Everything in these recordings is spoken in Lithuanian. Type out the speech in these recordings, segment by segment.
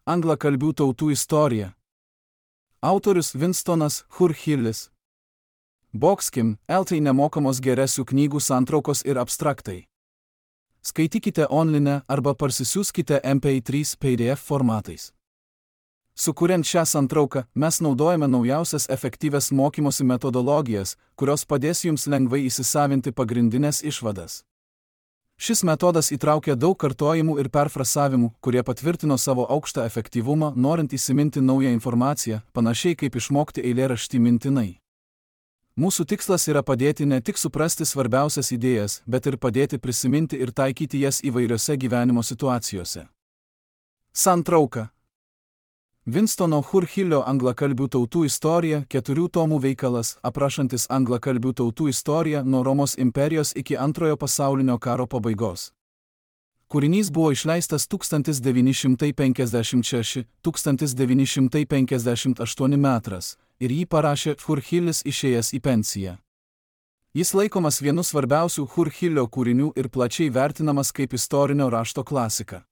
Anglakalbių tautų istorija. Autorius Winstonas Churchillis. Boxkim, LT nemokamos geresių knygų santraukos ir abstraktai. Skaitykite online arba parsisiųskite MP3 PDF formatais. Sukuriant šią santrauką, mes naudojame naujausias efektyvias mokymosi metodologijas, kurios padės jums lengvai įsisavinti pagrindinės išvadas. Šis metodas įtraukia daug kartojimų ir perfrasavimų, kurie patvirtino savo aukštą efektyvumą, norint įsiminti naują informaciją, panašiai kaip išmokti eilėraštį mintinai. Mūsų tikslas yra padėti ne tik suprasti svarbiausias idėjas, bet ir padėti prisiminti ir taikyti jas įvairiose gyvenimo situacijose. Santrauka. Winstono Churchillio Anglakalbių tautų istorija 4 tomų veikalas, aprašantis anglakalbių tautų istoriją nuo Romos imperijos iki Antrojo pasaulinio karo pabaigos. Kūrinys buvo išleistas 1956–1958 metras ir jį parašė Churchillis išėjęs į pensiją. Jis laikomas vienu svarbiausių Churchillio kūrinių ir plačiai vertinamas kaip istorinio rašto klasika.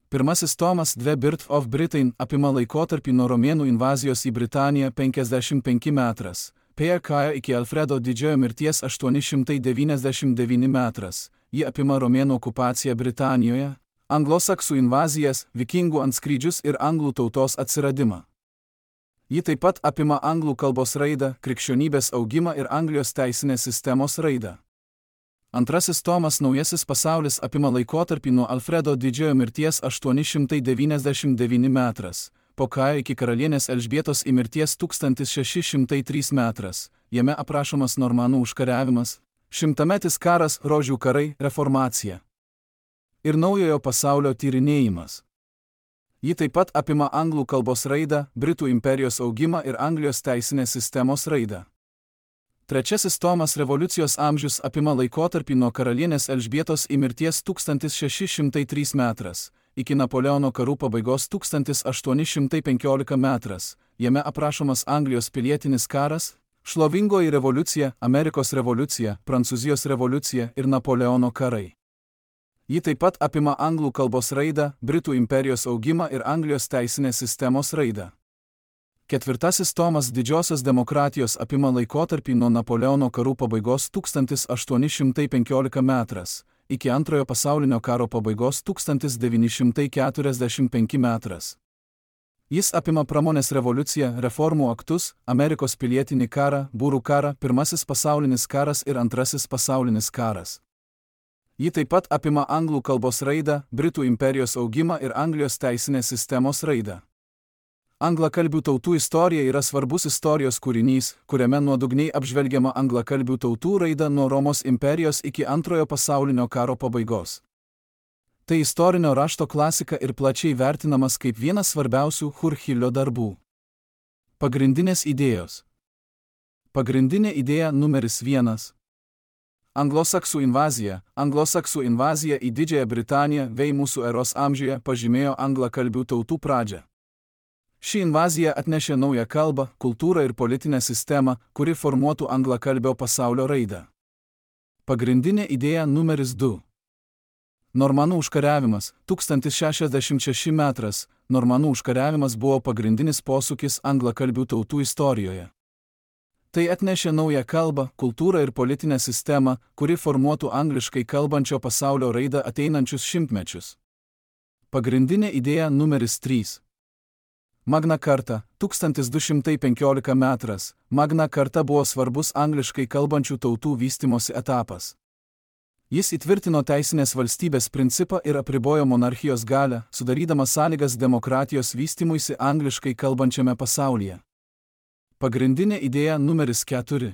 Pirmasis tomas The Birth of Britain apima laikotarpį nuo romėnų invazijos į Britaniją 55 metras, PK iki Alfredo didžiojo mirties 899 metras, ji apima romėnų okupaciją Britanijoje, anglosaksų invazijas, vikingų antskrydžius ir anglų tautos atsiradimą. Ji taip pat apima anglų kalbos raidą, krikščionybės augimą ir Anglijos teisinės sistemos raidą. Antrasis tomas Naujasis pasaulis apima laikotarpį nuo Alfredo didžiojo mirties 899 metras, po Kajo iki karalienės Elžbietos į mirties 1603 metras, jame aprašomas normanų užkariavimas, šimtametis karas, rožių karai, reformacija ir naujojo pasaulio tyrinėjimas. Ji taip pat apima anglų kalbos raidą, Britų imperijos augimą ir Anglijos teisinės sistemos raidą. Trečiasis tomas Revoliucijos amžius apima laikotarpį nuo karalienės Elžbietos į mirties 1603 metras, iki Napoleono karų pabaigos 1815 metras, jame aprašomas Anglijos pilietinis karas, šlovingoji revoliucija, Amerikos revoliucija, Prancūzijos revoliucija ir Napoleono karai. Ji taip pat apima anglų kalbos raidą, Britų imperijos augimą ir Anglijos teisinės sistemos raidą. Ketvirtasis tomas Didžiosios demokratijos apima laikotarpį nuo Napoleono karų pabaigos 1815 metras, iki Antrojo pasaulinio karo pabaigos 1945 metras. Jis apima pramonės revoliuciją, reformų aktus, Amerikos pilietinį karą, būrų karą, Pirmasis pasaulinis karas ir Antrasis pasaulinis karas. Ji taip pat apima anglų kalbos raidą, Britų imperijos augimą ir Anglijos teisinės sistemos raidą. Anglakalbių tautų istorija yra svarbus istorijos kūrinys, kuriame nuodugniai apžvelgiama anglakalbių tautų raida nuo Romos imperijos iki Antrojo pasaulinio karo pabaigos. Tai istorinio rašto klasika ir plačiai vertinamas kaip vienas svarbiausių Churchillio darbų. Pagrindinės idėjos. Pagrindinė idėja numeris 1. Anglosaksų invazija. Anglosaksų invazija į Didžiąją Britaniją vei mūsų eros amžiuje pažymėjo anglakalbių tautų pradžią. Ši invazija atnešė naują kalbą, kultūrą ir politinę sistemą, kuri formuotų anglakalbio pasaulio raidą. Pagrindinė idėja numeris 2. Normanų užkariavimas, 1066 metras. Normanų užkariavimas buvo pagrindinis posūkis anglakalbių tautų istorijoje. Tai atnešė naują kalbą, kultūrą ir politinę sistemą, kuri formuotų angliškai kalbančio pasaulio raidą ateinančius šimtmečius. Pagrindinė idėja numeris 3. Magna Carta, 1215 metras. Magna Carta buvo svarbus angliškai kalbančių tautų vystimosi etapas. Jis įtvirtino teisinės valstybės principą ir apribojo monarchijos galią, sudarydamas sąlygas demokratijos vystymuisi angliškai kalbančiame pasaulyje. Pagrindinė idėja numeris 4.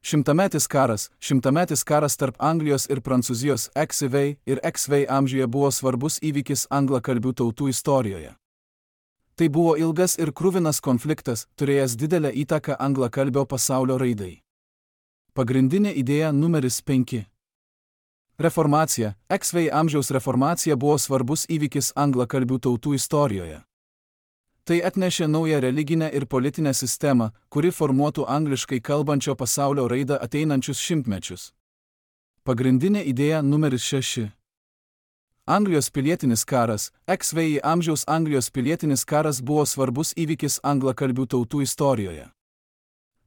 Šimtametis karas tarp Anglijos ir Prancūzijos XV ir XV amžiuje buvo svarbus įvykis anglakalbių tautų istorijoje. Tai buvo ilgas ir kruvinas konfliktas, turėjęs didelę įtaką anglakalbio pasaulio raidai. Pagrindinė idėja numeris 5. Reformacija. XV amžiaus reformacija buvo svarbus įvykis anglakalbių tautų istorijoje. Tai atnešė naują religinę ir politinę sistemą, kuri formuotų angliškai kalbančio pasaulio raidą ateinančius šimtmečius. Pagrindinė idėja numeris 6. Anglijos pilietinis karas, XVII amžiaus Anglijos pilietinis karas buvo svarbus įvykis anglakalbių tautų istorijoje.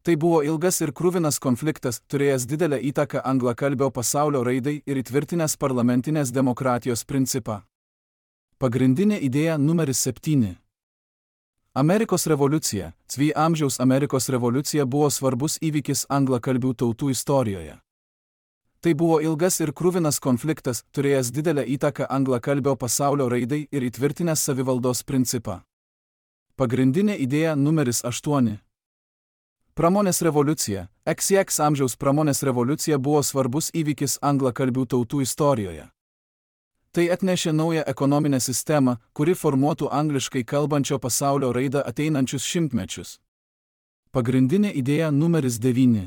Tai buvo ilgas ir kruvinas konfliktas, turėjęs didelę įtaką anglakalbio pasaulio raidai ir įtvirtinęs parlamentinės demokratijos principą. Pagrindinė idėja numeris 7. Amerikos revoliucija, XVII amžiaus Amerikos revoliucija buvo svarbus įvykis anglakalbių tautų istorijoje. Tai buvo ilgas ir kruvinas konfliktas, turėjęs didelę įtaką anglakalbio pasaulio raidai ir įtvirtinęs savivaldos principą. Pagrindinė idėja numeris 8. Pramonės revoliucija, XX amžiaus pramonės revoliucija buvo svarbus įvykis anglakalbių tautų istorijoje. Tai atnešė naują ekonominę sistemą, kuri formuotų angliškai kalbančio pasaulio raidą ateinančius šimtmečius. Pagrindinė idėja numeris 9.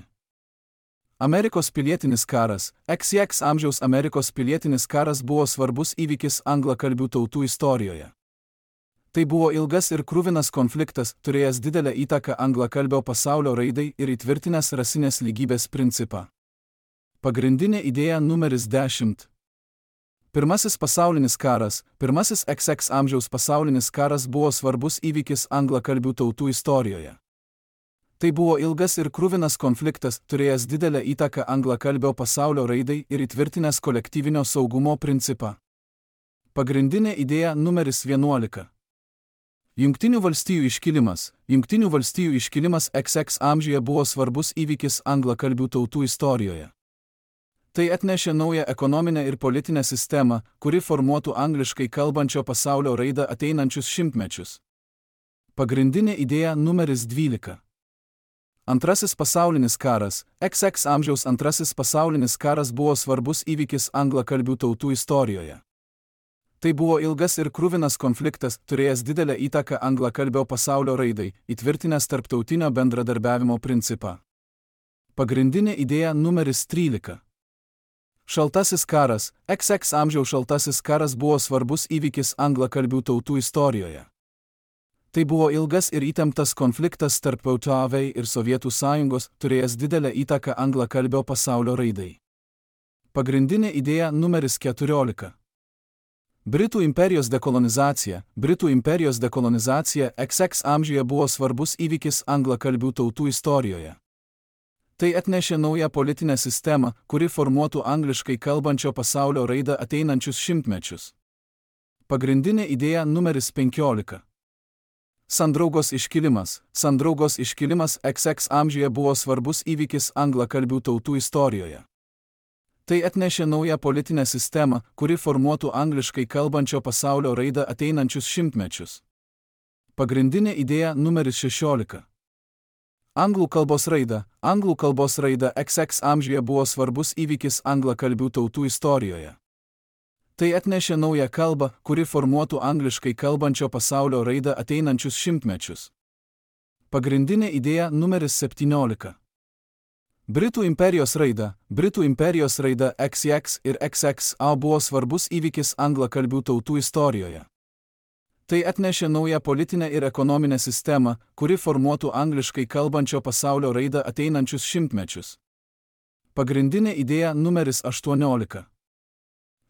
Amerikos pilietinis karas, XX amžiaus Amerikos pilietinis karas buvo svarbus įvykis anglakalbių tautų istorijoje. Tai buvo ilgas ir kruvinas konfliktas, turėjęs didelę įtaką anglakalbio pasaulio raidai ir įtvirtinęs rasinės lygybės principą. Pagrindinė idėja numeris 10. Pirmasis pasaulinis karas, pirmasis XX amžiaus pasaulinis karas buvo svarbus įvykis anglakalbių tautų istorijoje. Tai buvo ilgas ir kruvinas konfliktas, turėjęs didelę įtaką anglakalbio pasaulio raidai ir įtvirtinęs kolektyvinio saugumo principą. Pagrindinė idėja numeris 11. Jungtinių valstijų iškilimas. Jungtinių valstijų iškilimas XX amžiuje buvo svarbus įvykis anglakalbių tautų istorijoje. Tai atnešė naują ekonominę ir politinę sistemą, kuri formuotų angliškai kalbančio pasaulio raidą ateinančius šimtmečius. Pagrindinė idėja numeris 12. Antrasis pasaulinis karas, XX amžiaus antrasis pasaulinis karas buvo svarbus įvykis anglakalbių tautų istorijoje. Tai buvo ilgas ir kruvinas konfliktas, turėjęs didelę įtaką anglakalbio pasaulio raidai, įtvirtinęs tarptautinio bendradarbiavimo principą. Pagrindinė idėja numeris 13. Šaltasis karas, XX amžiaus šaltasis karas buvo svarbus įvykis anglakalbių tautų istorijoje. Tai buvo ilgas ir įtemptas konfliktas tarp JAV ir Sovietų sąjungos, turėjęs didelę įtaką anglakalbio pasaulio raidai. Pagrindinė idėja numeris 14. Britų imperijos dekolonizacija. Britų imperijos dekolonizacija XX amžiuje buvo svarbus įvykis anglakalbių tautų istorijoje. Tai atnešė naują politinę sistemą, kuri formuotų angliškai kalbančio pasaulio raidą ateinančius šimtmečius. Pagrindinė idėja numeris 15. Sandraugos iškilimas. Sandraugos iškilimas XX amžiuje buvo svarbus įvykis anglakalbių tautų istorijoje. Tai atnešė naują politinę sistemą, kuri formuotų angliškai kalbančio pasaulio raidą ateinančius šimtmečius. Pagrindinė idėja numeris 16. Anglų kalbos raida. Anglų kalbos raida XX amžiuje buvo svarbus įvykis anglakalbių tautų istorijoje. Tai atnešė naują kalbą, kuri formuotų angliškai kalbančio pasaulio raidą ateinančius šimtmečius. Pagrindinė idėja numeris 17. Britų imperijos raida. Britų imperijos raida XX ir XXA buvo svarbus įvykis anglakalbių tautų istorijoje. Tai atnešė naują politinę ir ekonominę sistemą, kuri formuotų angliškai kalbančio pasaulio raidą ateinančius šimtmečius. Pagrindinė idėja numeris 18.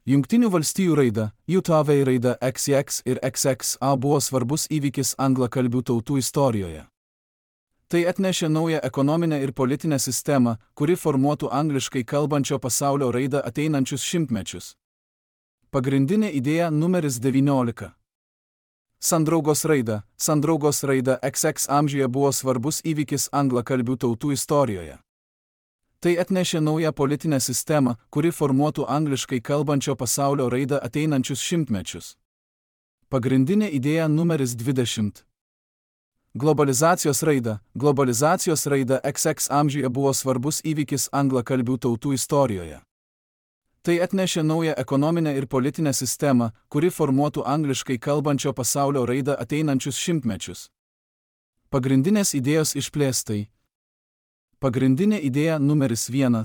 Jungtinių valstijų raida. JAV raida XX ir XXA buvo svarbus įvykis anglakalbių tautų istorijoje. Tai atnešė naują ekonominę ir politinę sistemą, kuri formuotų angliškai kalbančio pasaulio raidą ateinančius šimtmečius. Pagrindinė idėja numeris 19. Sandraugos raida. Sandraugos raida XX amžiuje buvo svarbus įvykis anglakalbių tautų istorijoje. Tai atnešė naują politinę sistemą, kuri formuotų angliškai kalbančio pasaulio raidą ateinančius šimtmečius. Pagrindinė idėja numeris 20. Globalizacijos raida. Globalizacijos raida XX amžiuje buvo svarbus įvykis anglakalbių tautų istorijoje. Tai atnešė naują ekonominę ir politinę sistemą, kuri formuotų angliškai kalbančio pasaulio raidą ateinančius šimtmečius. Pagrindinės idėjos išplėstai. Pagrindinė idėja numeris 1.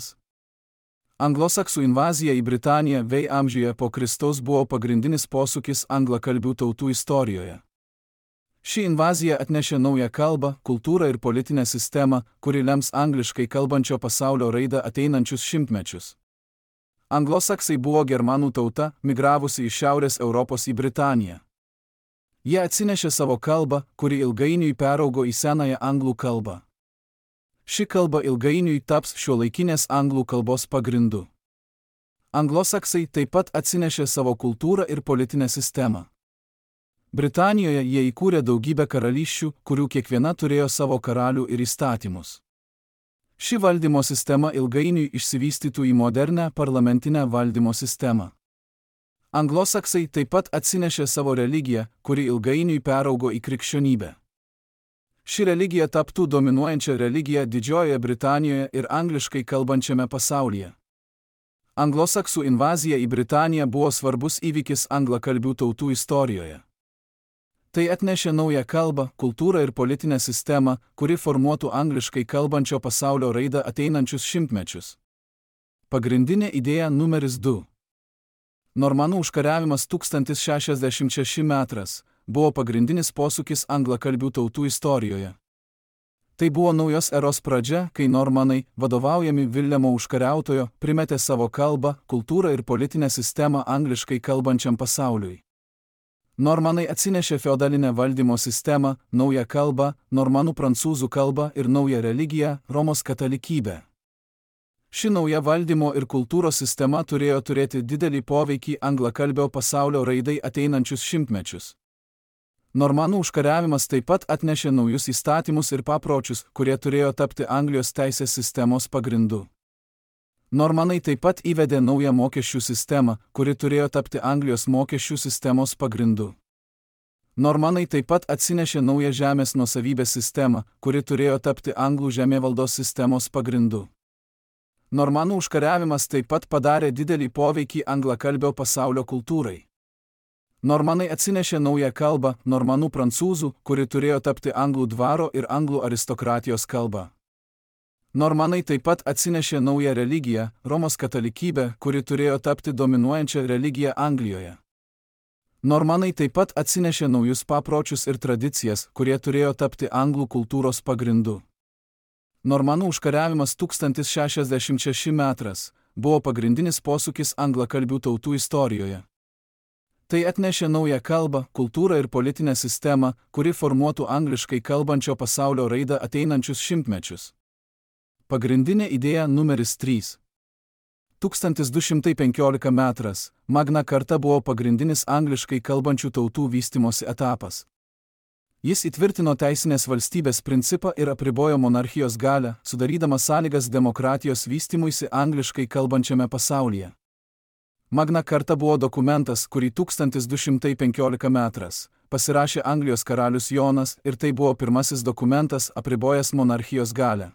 Anglosaksų invazija į Britaniją VI amžiuje po Kristaus buvo pagrindinis posūkis anglakalbių tautų istorijoje. Ši invazija atnešė naują kalbą, kultūrą ir politinę sistemą, kuri lems angliškai kalbančio pasaulio raidą ateinančius šimtmečius. Anglosaksai buvo germanų tauta, migravusi iš Šiaurės Europos į Britaniją. Jie atsinešė savo kalbą, kuri ilgainiui peraugo į senąją anglų kalbą. Ši kalba ilgainiui taps šiuolaikinės anglų kalbos pagrindu. Anglosaksai taip pat atsinešė savo kultūrą ir politinę sistemą. Britanijoje jie įkūrė daugybę karalysčių, kurių kiekviena turėjo savo karalių ir įstatymus. Ši valdymo sistema ilgainiui išsivystytų į modernę parlamentinę valdymo sistemą. Anglosaksai taip pat atsinešė savo religiją, kuri ilgainiui peraugo į krikščionybę. Ši religija taptų dominuojančia religija Didžiojoje Britanijoje ir angliškai kalbančiame pasaulyje. Anglosaksų invazija į Britaniją buvo svarbus įvykis anglakalbių tautų istorijoje. Tai atnešė naują kalbą, kultūrą ir politinę sistemą, kuri formuotų angliškai kalbančio pasaulio raidą ateinančius šimtmečius. Pagrindinė idėja numeris 2. Normanų užkariavimas 1066 metras buvo pagrindinis posūkis anglakalbių tautų istorijoje. Tai buvo naujos eros pradžia, kai normanai, vadovaujami Viljamo užkariautojo, primetė savo kalbą, kultūrą ir politinę sistemą angliškai kalbančiam pasauliui. Normanai atsinešė feodalinę valdymo sistemą, naują kalbą, normanų prancūzų kalbą ir naują religiją – Romos katalikybę. Ši nauja valdymo ir kultūros sistema turėjo turėti didelį poveikį anglakalbio pasaulio raidai ateinančius šimtmečius. Normanų užkariavimas taip pat atnešė naujus įstatymus ir papročius, kurie turėjo tapti Anglijos teisės sistemos pagrindu. Normanai taip pat įvedė naują mokesčių sistemą, kuri turėjo tapti Anglijos mokesčių sistemos pagrindu. Normanai taip pat atsinešė naują žemės nuosavybės sistemą, kuri turėjo tapti anglų žemėvaldos sistemos pagrindu. Normanų užkariavimas taip pat padarė didelį poveikį anglakalbio pasaulio kultūrai. Normanai atsinešė naują kalbą, normanų prancūzų, kuri turėjo tapti anglų dvaro ir anglų aristokratijos kalba. Normanai taip pat atsinešė naują religiją, Romos katalikybę, kuri turėjo tapti dominuojančią religiją Anglijoje. Normanai taip pat atsinešė naujus papročius ir tradicijas, kurie turėjo tapti anglų kultūros pagrindu. Normanų užkariavimas 1066 metras buvo pagrindinis posūkis anglakalbių tautų istorijoje. Tai atnešė naują kalbą, kultūrą ir politinę sistemą, kuri formuotų angliškai kalbančio pasaulio raidą ateinančius šimtmečius. Pagrindinė idėja numeris 3. 1215 metras Magna Carta buvo pagrindinis angliškai kalbančių tautų vystymosi etapas. Jis įtvirtino teisinės valstybės principą ir apribojo monarchijos galią, sudarydamas sąlygas demokratijos vystymuisi angliškai kalbančiame pasaulyje. Magna Carta buvo dokumentas, kurį 1215 metras pasirašė Anglijos karalius Jonas ir tai buvo pirmasis dokumentas apribojęs monarchijos galią.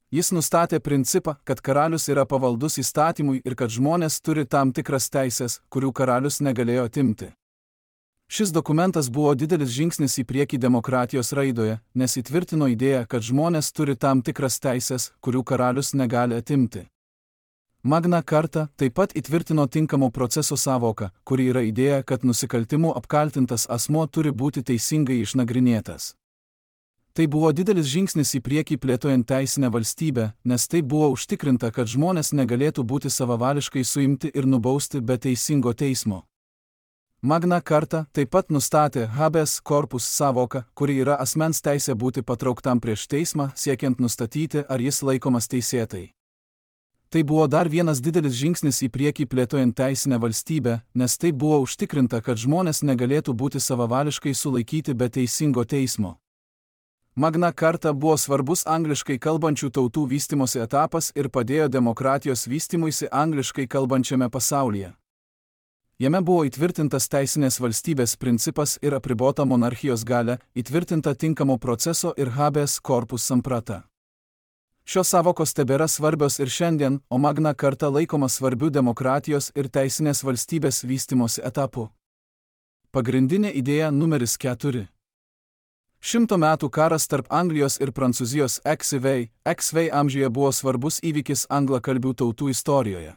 Jis nustatė principą, kad karalius yra pavaldus įstatymui ir kad žmonės turi tam tikras teisės, kurių karalius negalėjo atimti. Šis dokumentas buvo didelis žingsnis į priekį demokratijos raidoje, nes įtvirtino idėją, kad žmonės turi tam tikras teisės, kurių karalius negali atimti. Magna Carta taip pat įtvirtino tinkamo proceso sąvoką, kuri yra idėja, kad nusikaltimu apkaltintas asmuo turi būti teisingai išnagrinėtas. Tai buvo didelis žingsnis į priekį plėtojant teisinę valstybę, nes tai buvo užtikrinta, kad žmonės negalėtų būti savavališkai suimti ir nubausti be teisingo teismo. Magna Carta taip pat nustatė habeas corpus sąvoką, kuri yra asmens teisė būti patrauktam prieš teismą, siekiant nustatyti, ar jis laikomas teisėtai. Tai buvo dar vienas didelis žingsnis į priekį plėtojant teisinę valstybę, nes tai buvo užtikrinta, kad žmonės negalėtų būti savavališkai sulaikyti be teisingo teismo. Magna Carta buvo svarbus angliškai kalbančių tautų vystymosi etapas ir padėjo demokratijos vystymuisi angliškai kalbančiame pasaulyje. Jame buvo įtvirtintas teisinės valstybės principas ir apribota monarchijos galia, įtvirtinta tinkamo proceso ir habeas corpus samprata. Šios sąvokos tebėra svarbios ir šiandien, o Magna Carta laikoma svarbiu demokratijos ir teisinės valstybės vystymosi etapu. Pagrindinė idėja numeris 4. 100 metų karas tarp Anglijos ir Prancūzijos XV amžiuje buvo svarbus įvykis anglakalbių tautų istorijoje.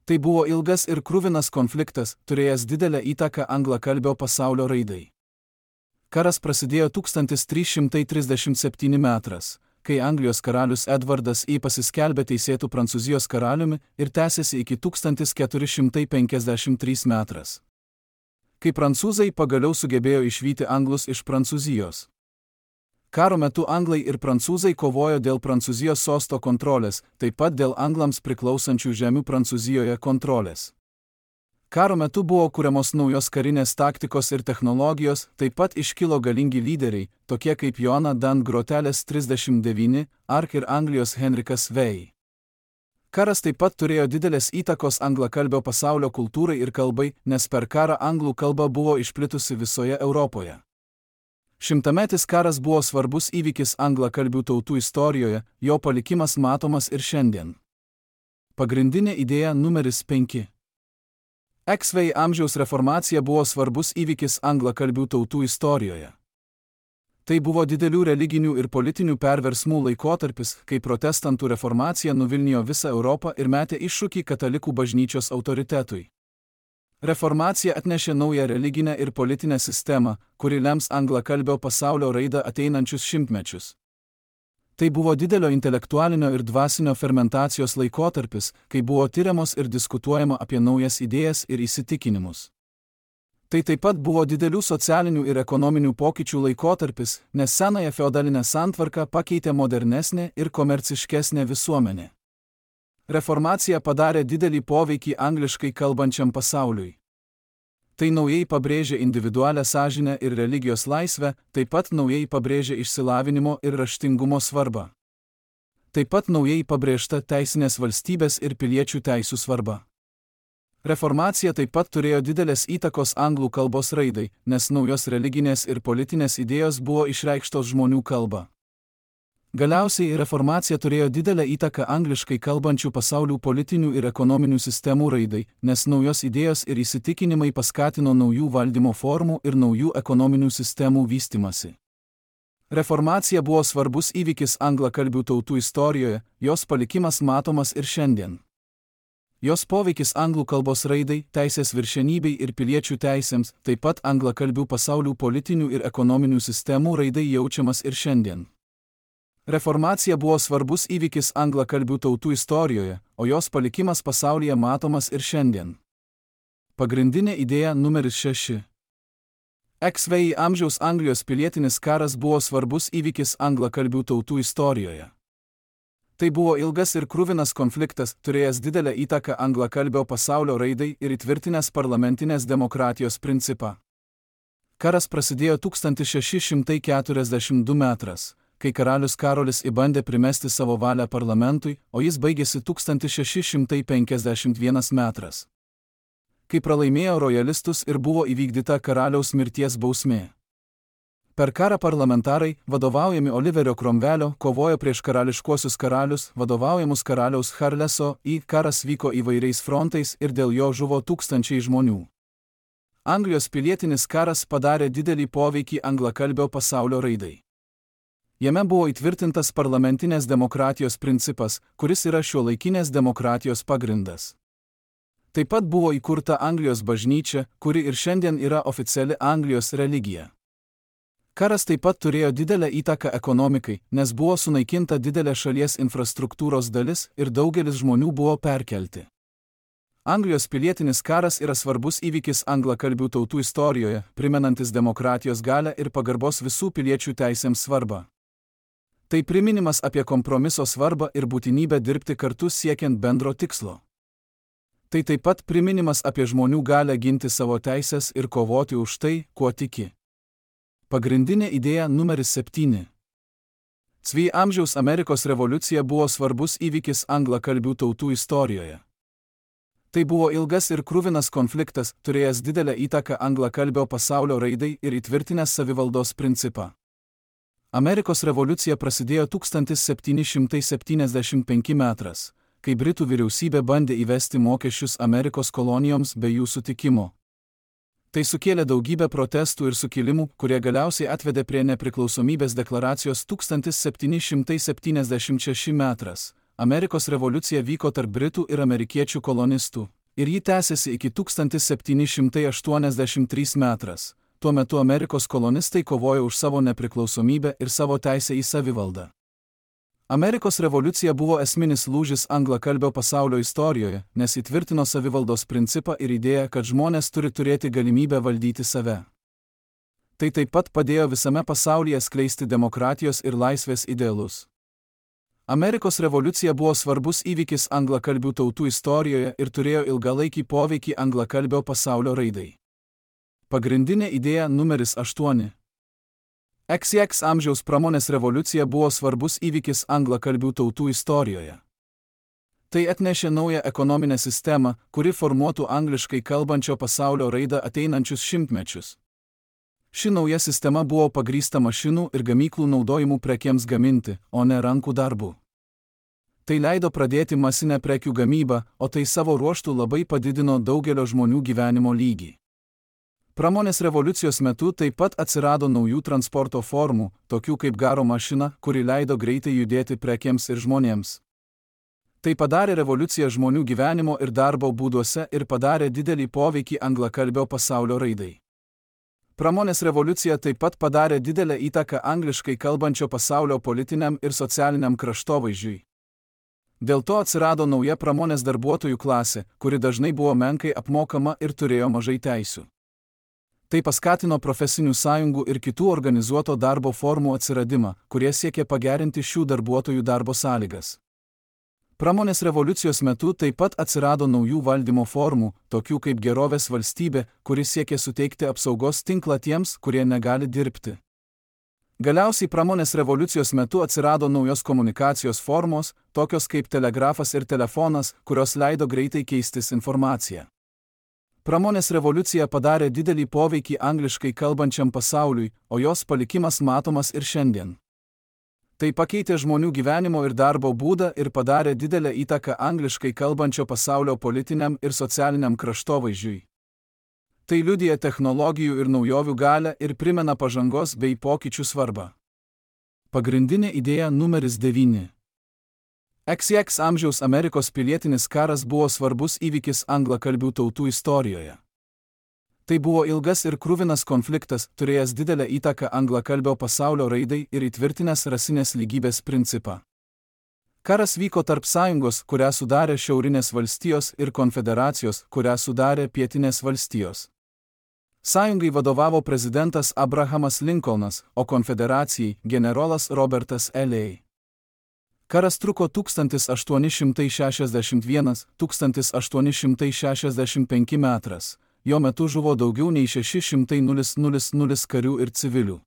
Tai buvo ilgas ir kruvinas konfliktas, turėjęs didelę įtaką anglakalbio pasaulio raidai. Karas prasidėjo 1337 metras, kai Anglijos karalius Edvardas I pasiskelbė teisėtų Prancūzijos karaliumi ir tęsėsi iki 1453 metais. Kai prancūzai pagaliau sugebėjo išvyti anglus iš Prancūzijos. Karo metu anglai ir prancūzai kovojo dėl Prancūzijos sosto kontrolės, taip pat dėl anglams priklausančių žemių Prancūzijoje kontrolės. Karo metu buvo kuriamos naujos karinės taktikos ir technologijos, taip pat iškilo galingi lyderiai, tokie kaip Joana Dan Grotelės 39, Ark ir Anglijos Henrikas Vei. Karas taip pat turėjo didelės įtakos anglakalbio pasaulio kultūrai ir kalbai, nes per karą anglų kalba buvo išplitusi visoje Europoje. Šimtametis karas buvo svarbus įvykis anglakalbių tautų istorijoje, jo palikimas matomas ir šiandien. Pagrindinė idėja numeris 5. XV amžiaus reformacija buvo svarbus įvykis anglakalbių tautų istorijoje. Tai buvo didelių religinių ir politinių perversmų laikotarpis, kai protestantų reformacija nuvilnijo visą Europą ir metė iššūkį katalikų bažnyčios autoritetui. Reformacija atnešė naują religinę ir politinę sistemą, kuri lems anglakalbio pasaulio raidą ateinančius šimtmečius. Tai buvo didelio intelektualinio ir dvasinio fermentacijos laikotarpis, kai buvo tyriamos ir diskutuojama apie naujas idėjas ir įsitikinimus. Tai taip pat buvo didelių socialinių ir ekonominių pokyčių laikotarpis, nes senąją feodalinę santvarką pakeitė modernesnė ir komerciškesnė visuomenė. Reformacija padarė didelį poveikį angliškai kalbančiam pasauliui. Tai naujai pabrėžė individualią sąžinę ir religijos laisvę, taip pat naujai pabrėžė išsilavinimo ir raštingumo svarbą. Taip pat naujai pabrėžta teisinės valstybės ir piliečių teisų svarba. Reformacija taip pat turėjo didelės įtakos anglų kalbos raidai, nes naujos religinės ir politinės idėjos buvo išreikštos žmonių kalba. Galiausiai reformacija turėjo didelę įtaką angliškai kalbančių pasaulių politinių ir ekonominių sistemų raidai, nes naujos idėjos ir įsitikinimai paskatino naujų valdymo formų ir naujų ekonominių sistemų vystymasi. Reformacija buvo svarbus įvykis anglakalbių tautų istorijoje, jos palikimas matomas ir šiandien. Jos poveikis anglų kalbos raidai, teisės viršenybei ir piliečių teisėms, taip pat anglakalbių pasaulių politinių ir ekonominių sistemų raidai jaučiamas ir šiandien. Reformacija buvo svarbus įvykis anglakalbių tautų istorijoje, o jos palikimas pasaulyje matomas ir šiandien. Pagrindinė idėja numeris 6. XV amžiaus Anglijos pilietinis karas buvo svarbus įvykis anglakalbių tautų istorijoje. Tai buvo ilgas ir kruvinas konfliktas, turėjęs didelę įtaką anglakalbio pasaulio raidai ir įtvirtinęs parlamentinės demokratijos principą. Karas prasidėjo 1642 metais. Kai karalius Karolis bandė primesti savo valią parlamentui, o jis baigėsi 1651 metais. Kai pralaimėjo rojalistus ir buvo įvykdyta karaliaus mirties bausmė. Per karą parlamentarai, vadovaujami Oliverio Cromwellio, kovojo prieš karališkuosius karalius, vadovaujamus karaliaus Charleso, karas vyko įvairiais frontais ir dėl jo žuvo tūkstančiai žmonių. Anglijos pilietinis karas padarė didelį poveikį anglakalbio pasaulio raidai. Jame buvo įtvirtintas parlamentinės demokratijos principas, kuris yra šiuolaikinės demokratijos pagrindas. Taip pat buvo įkurta Anglijos bažnyčia, kuri ir šiandien yra oficiali Anglijos religija. Karas taip pat turėjo didelę įtaką ekonomikai, nes buvo sunaikinta didelė šalies infrastruktūros dalis ir daugelis žmonių buvo perkelti. Anglijos pilietinis karas yra svarbus įvykis anglakalbių tautų istorijoje, primenantis demokratijos galią ir pagarbos visų piliečių teisėms svarbą. Tai priminimas apie kompromiso svarbą ir būtinybę dirbti kartu siekiant bendro tikslo. Tai taip pat priminimas apie žmonių galią ginti savo teisės ir kovoti už tai, kuo tiki. Pagrindinė idėja numeris 7. XV amžiaus Amerikos revoliucija buvo svarbus įvykis anglakalbių tautų istorijoje. Tai buvo ilgas ir kruvinas konfliktas, turėjęs didelę įtaką anglakalbio pasaulio raidai ir įtvirtinęs savivaldos principą. Amerikos revoliucija prasidėjo 1775 metais, kai Britų vyriausybė bandė įvesti mokesčius Amerikos kolonijoms be jų sutikimo. Tai sukėlė daugybę protestų ir sukilimų, kurie galiausiai atvedė prie nepriklausomybės deklaracijos 1776 metais. Amerikos revoliucija vyko tarp Britų ir amerikiečių kolonistų, ir ji tęsėsi iki 1783 metais. Tuo metu Amerikos kolonistai kovojo už savo nepriklausomybę ir savo teisę į savivaldą. Amerikos revoliucija buvo esminis lūžis anglakalbio pasaulio istorijoje, nes įtvirtino savivaldos principą ir idėją, kad žmonės turi turėti galimybę valdyti save. Tai taip pat padėjo visame pasaulyje skleisti demokratijos ir laisvės idealus. Amerikos revoliucija buvo svarbus įvykis anglakalbių tautų istorijoje ir turėjo ilgalaikį poveikį anglakalbio pasaulio raidai. Pagrindinė idėja numeris 8. XX amžiaus pramonės revoliucija buvo svarbus įvykis anglakalbių tautų istorijoje. Tai atnešė naują ekonominę sistemą, kuri formuotų angliškai kalbančio pasaulio raidą ateinančius šimtmečius. Ši nauja sistema buvo pagrįsta mašinų ir gamyklų naudojimu prekėms gaminti, o ne rankų darbu. Tai leido pradėti masinę prekių gamybą, o tai savo ruožtu labai padidino daugelio žmonių gyvenimo lygį. Pramonės revoliucijos metu taip pat atsirado naujų transporto formų, tokių kaip garo mašina, kuri leido greitai judėti prekėms ir žmonėms. Tai padarė revoliuciją žmonių gyvenimo ir darbo būduose ir padarė didelį poveikį anglakalbio pasaulio raidai. Pramonės revoliucija taip pat padarė didelę įtaką angliškai kalbančio pasaulio politiniam ir socialiniam kraštovaizdžiui. Dėl to atsirado nauja pramonės darbuotojų klasė, kuri dažnai buvo menkai apmokama ir turėjo mažai teisių. Tai paskatino profesinių sąjungų ir kitų organizuoto darbo formų atsiradimą, kurie siekė pagerinti šių darbuotojų darbo sąlygas. Pramonės revoliucijos metu taip pat atsirado naujų valdymo formų, tokių kaip gerovės valstybė, kuri siekė suteikti apsaugos tinklą tiems, kurie negali dirbti. Galiausiai pramonės revoliucijos metu atsirado naujos komunikacijos formos, tokios kaip telegrafas ir telefonas, kurios leido greitai keistis informaciją. Pramonės revoliucija padarė didelį poveikį angliškai kalbančiam pasauliui, o jos palikimas matomas ir šiandien. Tai pakeitė žmonių gyvenimo ir darbo būdą ir padarė didelę įtaką angliškai kalbančio pasaulio politiniam ir socialiniam kraštovaizdžiui. Tai liudija technologijų ir naujovių galią ir primena pažangos bei pokyčių svarbą. Pagrindinė idėja numeris 9. XX amžiaus Amerikos pilietinis karas buvo svarbus įvykis anglakalbių tautų istorijoje. Tai buvo ilgas ir kruvinas konfliktas, turėjęs didelę įtaką anglakalbio pasaulio raidai ir įtvirtinęs rasinės lygybės principą. Karas vyko tarp sąjungos, kurią sudarė Šiaurinės valstijos, ir konfederacijos, kurią sudarė Pietinės valstijos. Sąjungai vadovavo prezidentas Abrahamas Lincolnas, o konfederacijai generolas Robertas L.A. Karas truko 1861–1865 metras, jo metu žuvo daugiau nei 600 karių ir civilių.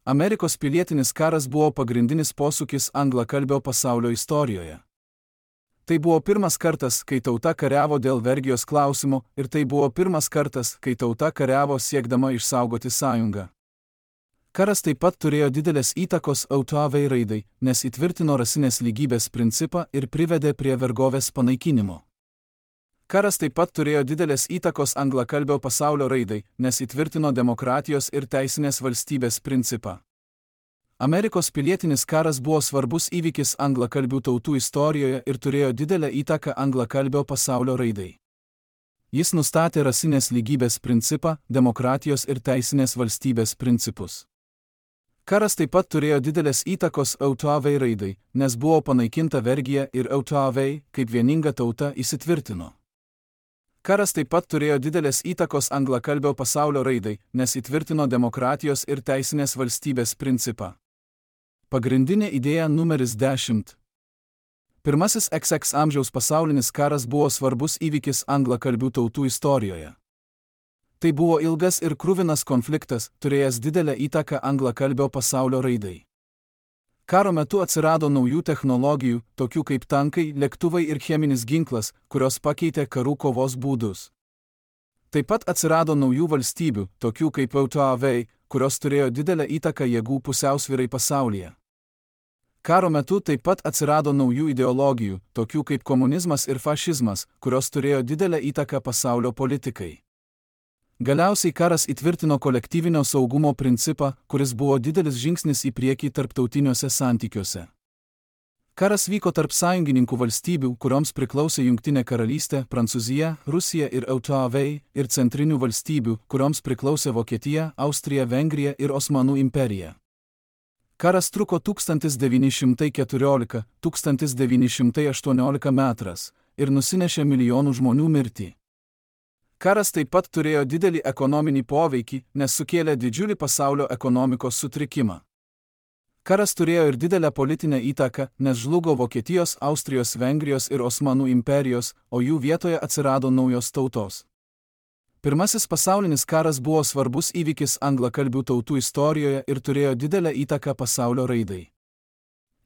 Amerikos pilietinis karas buvo pagrindinis posūkis anglakalbio pasaulio istorijoje. Tai buvo pirmas kartas, kai tauta kariavo dėl vergijos klausimo, ir tai buvo pirmas kartas, kai tauta kariavo siekdama išsaugoti sąjungą. Karas taip pat turėjo didelės įtakos autoavai raidai, nes įtvirtino rasinės lygybės principą ir privedė prie vergovės panaikinimo. Karas taip pat turėjo didelės įtakos anglakalbio pasaulio raidai, nes įtvirtino demokratijos ir teisinės valstybės principą. Amerikos pilietinis karas buvo svarbus įvykis anglakalbių tautų istorijoje ir turėjo didelę įtaką anglakalbio pasaulio raidai. Jis nustatė rasinės lygybės principą, demokratijos ir teisinės valstybės principus. Karas taip pat turėjo didelės įtakos autoavai raidai, nes buvo panaikinta vergija ir autoavai, kaip vieninga tauta, įsitvirtino. Karas taip pat turėjo didelės įtakos anglakalbio pasaulio raidai, nes įtvirtino demokratijos ir teisinės valstybės principą. Pagrindinė idėja numeris 10. Pirmasis XX amžiaus pasaulinis karas buvo svarbus įvykis anglakalbių tautų istorijoje. Tai buvo ilgas ir kruvinas konfliktas, turėjęs didelę įtaką anglakalbio pasaulio raidai. Karo metu atsirado naujų technologijų, tokių kaip tankai, lėktuvai ir cheminis ginklas, kurios pakeitė karų kovos būdus. Taip pat atsirado naujų valstybių, tokių kaip autoavai, kurios turėjo didelę įtaką jėgų pusiausvyrai pasaulyje. Karo metu taip pat atsirado naujų ideologijų, tokių kaip komunizmas ir fašizmas, kurios turėjo didelę įtaką pasaulio politikai. Galiausiai karas įtvirtino kolektyvinio saugumo principą, kuris buvo didelis žingsnis į priekį tarptautiniuose santykiuose. Karas vyko tarp sąjungininkų valstybių, kurioms priklausė Jungtinė karalystė, Prancūzija, Rusija ir autoavai, ir centrinių valstybių, kurioms priklausė Vokietija, Austrija, Vengrija ir Osmanų imperija. Karas truko 1914–1918 metras ir nusinešė milijonų žmonių mirtį. Karas taip pat turėjo didelį ekonominį poveikį, nes sukėlė didžiulį pasaulio ekonomikos sutrikimą. Karas turėjo ir didelę politinę įtaką, nes žlugo Vokietijos, Austrijos, Vengrijos ir Osmanų imperijos, o jų vietoje atsirado naujos tautos. Pirmasis pasaulinis karas buvo svarbus įvykis anglakalbių tautų istorijoje ir turėjo didelę įtaką pasaulio raidai.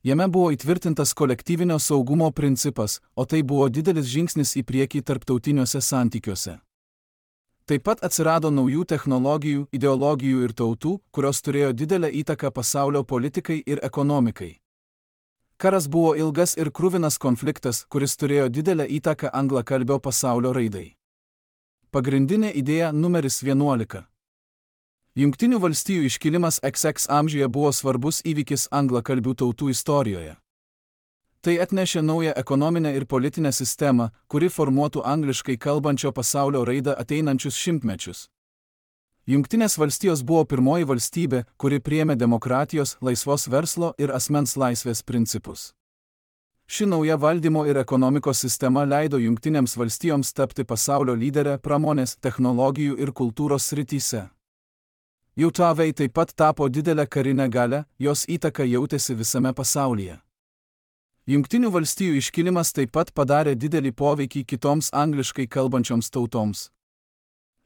Jame buvo įtvirtintas kolektyvinio saugumo principas, o tai buvo didelis žingsnis į priekį tarptautiniuose santykiuose. Taip pat atsirado naujų technologijų, ideologijų ir tautų, kurios turėjo didelę įtaką pasaulio politikai ir ekonomikai. Karas buvo ilgas ir kruvinas konfliktas, kuris turėjo didelę įtaką anglakalbio pasaulio raidai. Pagrindinė idėja numeris 11. Jungtinių valstijų iškilimas XX amžiuje buvo svarbus įvykis anglakalbių tautų istorijoje. Tai atnešė naują ekonominę ir politinę sistemą, kuri formuotų angliškai kalbančio pasaulio raidą ateinančius šimtmečius. Jungtinės valstijos buvo pirmoji valstybė, kuri priėmė demokratijos, laisvos verslo ir asmens laisvės principus. Ši nauja valdymo ir ekonomikos sistema leido Jungtinėms valstijoms tapti pasaulio lyderę pramonės, technologijų ir kultūros srityse. JAV taip pat tapo didelę karinę galią, jos įtaka jautėsi visame pasaulyje. Jungtinių valstijų iškilimas taip pat padarė didelį poveikį kitoms angliškai kalbančioms tautoms.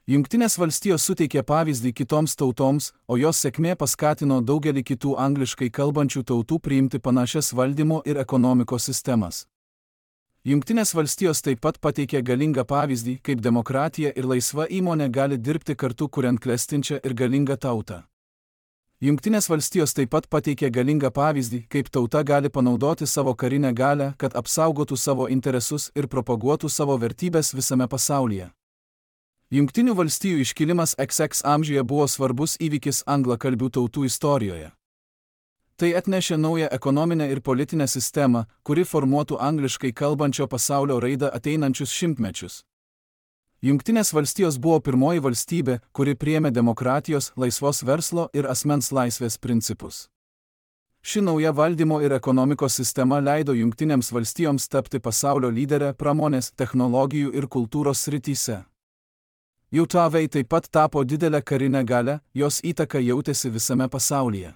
Jungtinės valstijos suteikė pavyzdį kitoms tautoms, o jos sėkmė paskatino daugelį kitų angliškai kalbančių tautų priimti panašias valdymo ir ekonomikos sistemas. Jungtinės valstijos taip pat pateikė galingą pavyzdį, kaip demokratija ir laisva įmonė gali dirbti kartu kuriant klestinčią ir galingą tautą. Jungtinės valstijos taip pat pateikė galingą pavyzdį, kaip tauta gali panaudoti savo karinę galią, kad apsaugotų savo interesus ir propaguotų savo vertybės visame pasaulyje. Jungtinių valstijų iškilimas XX amžiuje buvo svarbus įvykis anglakalbių tautų istorijoje. Tai atnešė naują ekonominę ir politinę sistemą, kuri formuotų angliškai kalbančio pasaulio raidą ateinančius šimtmečius. Jungtinės valstijos buvo pirmoji valstybė, kuri priėmė demokratijos, laisvos verslo ir asmens laisvės principus. Ši nauja valdymo ir ekonomikos sistema leido Jungtinėms valstijoms tapti pasaulio lyderę pramonės, technologijų ir kultūros srityse. JAV taip pat tapo didelę karinę galią, jos įtaka jautėsi visame pasaulyje.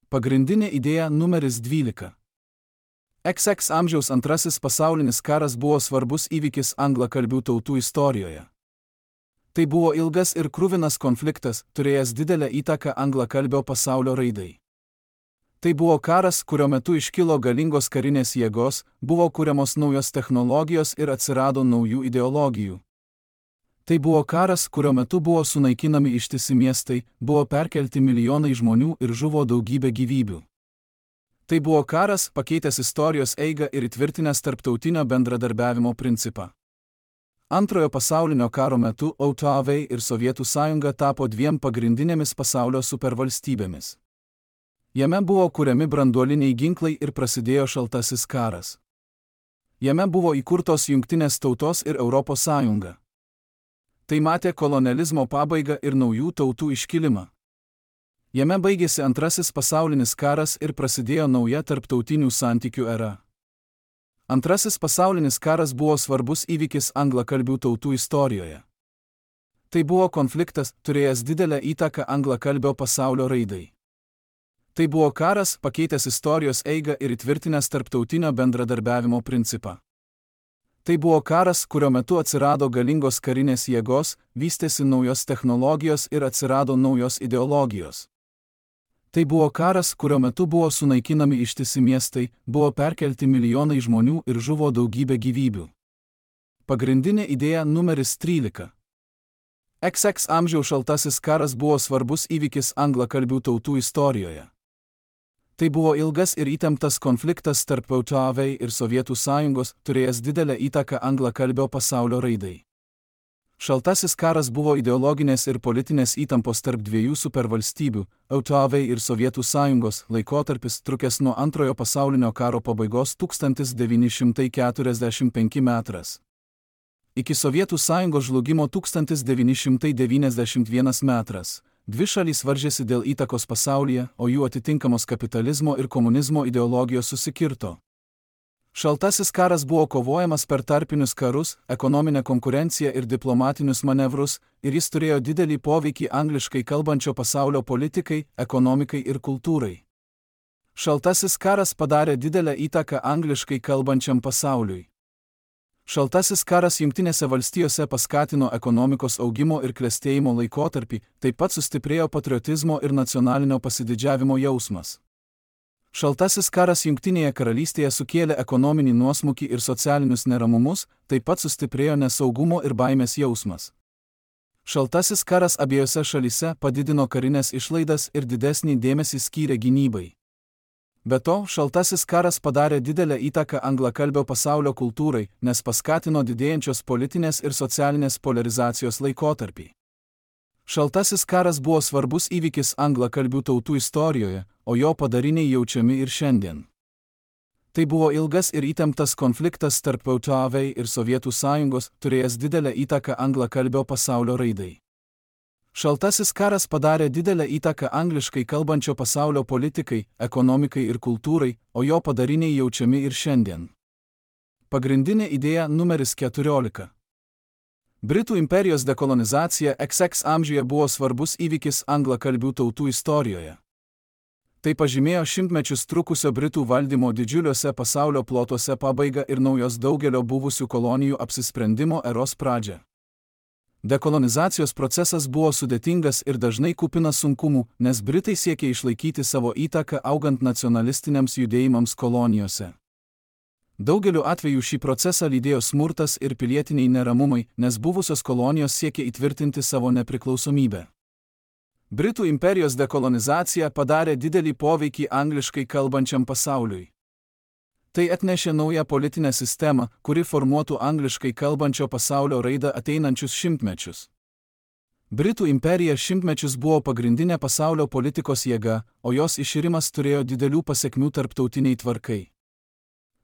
Pagrindinė idėja numeris 12. XX amžiaus antrasis pasaulinis karas buvo svarbus įvykis anglakalbių tautų istorijoje. Tai buvo ilgas ir kruvinas konfliktas, turėjęs didelę įtaką anglakalbio pasaulio raidai. Tai buvo karas, kurio metu iškilo galingos karinės jėgos, buvo kuriamos naujos technologijos ir atsirado naujų ideologijų. Tai buvo karas, kurio metu buvo sunaikinami ištisi miestai, buvo perkelti milijonai žmonių ir žuvo daugybė gyvybių. Tai buvo karas, pakeitęs istorijos eigą ir įtvirtinęs tarptautinio bendradarbiavimo principą. Antrojo pasaulinio karo metu JAV ir Sovietų sąjunga tapo dviem pagrindinėmis pasaulio supervalstybėmis. Jame buvo kuriami branduoliniai ginklai ir prasidėjo šaltasis karas. Jame buvo įkurtos Jungtinės tautos ir Europos sąjunga. Tai matė kolonializmo pabaigą ir naujų tautų iškilimą. Jame baigėsi antrasis pasaulinis karas ir prasidėjo nauja tarptautinių santykių era. Antrasis pasaulinis karas buvo svarbus įvykis anglakalbių tautų istorijoje. Tai buvo konfliktas, turėjęs didelę įtaką anglakalbio pasaulio raidai. Tai buvo karas, pakeitęs istorijos eigą ir įtvirtinęs tarptautinio bendradarbiavimo principą. Tai buvo karas, kurio metu atsirado galingos karinės jėgos, vystėsi naujos technologijos ir atsirado naujos ideologijos. Tai buvo karas, kurio metu buvo sunaikinami ištisi miestai, buvo perkelti milijonai žmonių ir žuvo daugybė gyvybių. Pagrindinė idėja numeris 13. XX amžiaus šaltasis karas buvo svarbus įvykis anglakalbių tautų istorijoje. Tai buvo ilgas ir įtemptas konfliktas tarp JAV ir Sovietų sąjungos, turėjęs didelę įtaką anglakalbio pasaulio raidai. Šaltasis karas buvo ideologinės ir politinės įtampos tarp dviejų supervalstybių, JAV ir Sovietų sąjungos, laikotarpis trukęs nuo Antrojo pasaulinio karo pabaigos 1945 metras. Iki Sovietų sąjungos žlugimo 1991 metras. Dvi šalys varžėsi dėl įtakos pasaulyje, o jų atitinkamos kapitalizmo ir komunizmo ideologijos susikirto. Šaltasis karas buvo kovojamas per tarpinius karus, ekonominę konkurenciją ir diplomatinius manevrus, ir jis turėjo didelį poveikį angliškai kalbančio pasaulio politikai, ekonomikai ir kultūrai. Šaltasis karas padarė didelę įtaką angliškai kalbančiam pasauliui. Šaltasis karas Jungtinėse valstijose paskatino ekonomikos augimo ir klestėjimo laikotarpį, taip pat sustiprėjo patriotizmo ir nacionalinio pasididžiavimo jausmas. Šaltasis karas Jungtinėje karalystėje sukėlė ekonominį nuosmukį ir socialinius neramumus, taip pat sustiprėjo nesaugumo ir baimės jausmas. Šaltasis karas abiejose šalyse padidino karinės išlaidas ir didesnį dėmesį skyrė gynybai. Be to, šaltasis karas padarė didelę įtaką anglakalbio pasaulio kultūrai, nes paskatino didėjančios politinės ir socialinės polarizacijos laikotarpį. Šaltasis karas buvo svarbus įvykis anglakalbių tautų istorijoje, o jo padariniai jaučiami ir šiandien. Tai buvo ilgas ir įtemptas konfliktas tarp JAV ir Sovietų sąjungos, turėjęs didelę įtaką anglakalbio pasaulio raidai. Šaltasis karas padarė didelę įtaką angliškai kalbančio pasaulio politikai, ekonomikai ir kultūrai, o jo padariniai jaučiami ir šiandien. Pagrindinė idėja numeris 14. Britų imperijos dekolonizacija XX amžiuje buvo svarbus įvykis anglakalbių tautų istorijoje. Tai pažymėjo šimtmečius trukusio Britų valdymo didžiuliuose pasaulio plotuose pabaigą ir naujos daugelio buvusių kolonijų apsisprendimo eros pradžią. Dekolonizacijos procesas buvo sudėtingas ir dažnai kupinas sunkumų, nes Britai siekė išlaikyti savo įtaką augant nacionalistiniams judėjimams kolonijose. Daugeliu atveju šį procesą lydėjo smurtas ir pilietiniai neramumai, nes buvusios kolonijos siekė įtvirtinti savo nepriklausomybę. Britų imperijos dekolonizacija padarė didelį poveikį angliškai kalbančiam pasauliui. Tai atnešė naują politinę sistemą, kuri formuotų angliškai kalbančio pasaulio raidą ateinančius šimtmečius. Britų imperija šimtmečius buvo pagrindinė pasaulio politikos jėga, o jos iširimas turėjo didelių pasekmių tarptautiniai tvarkai.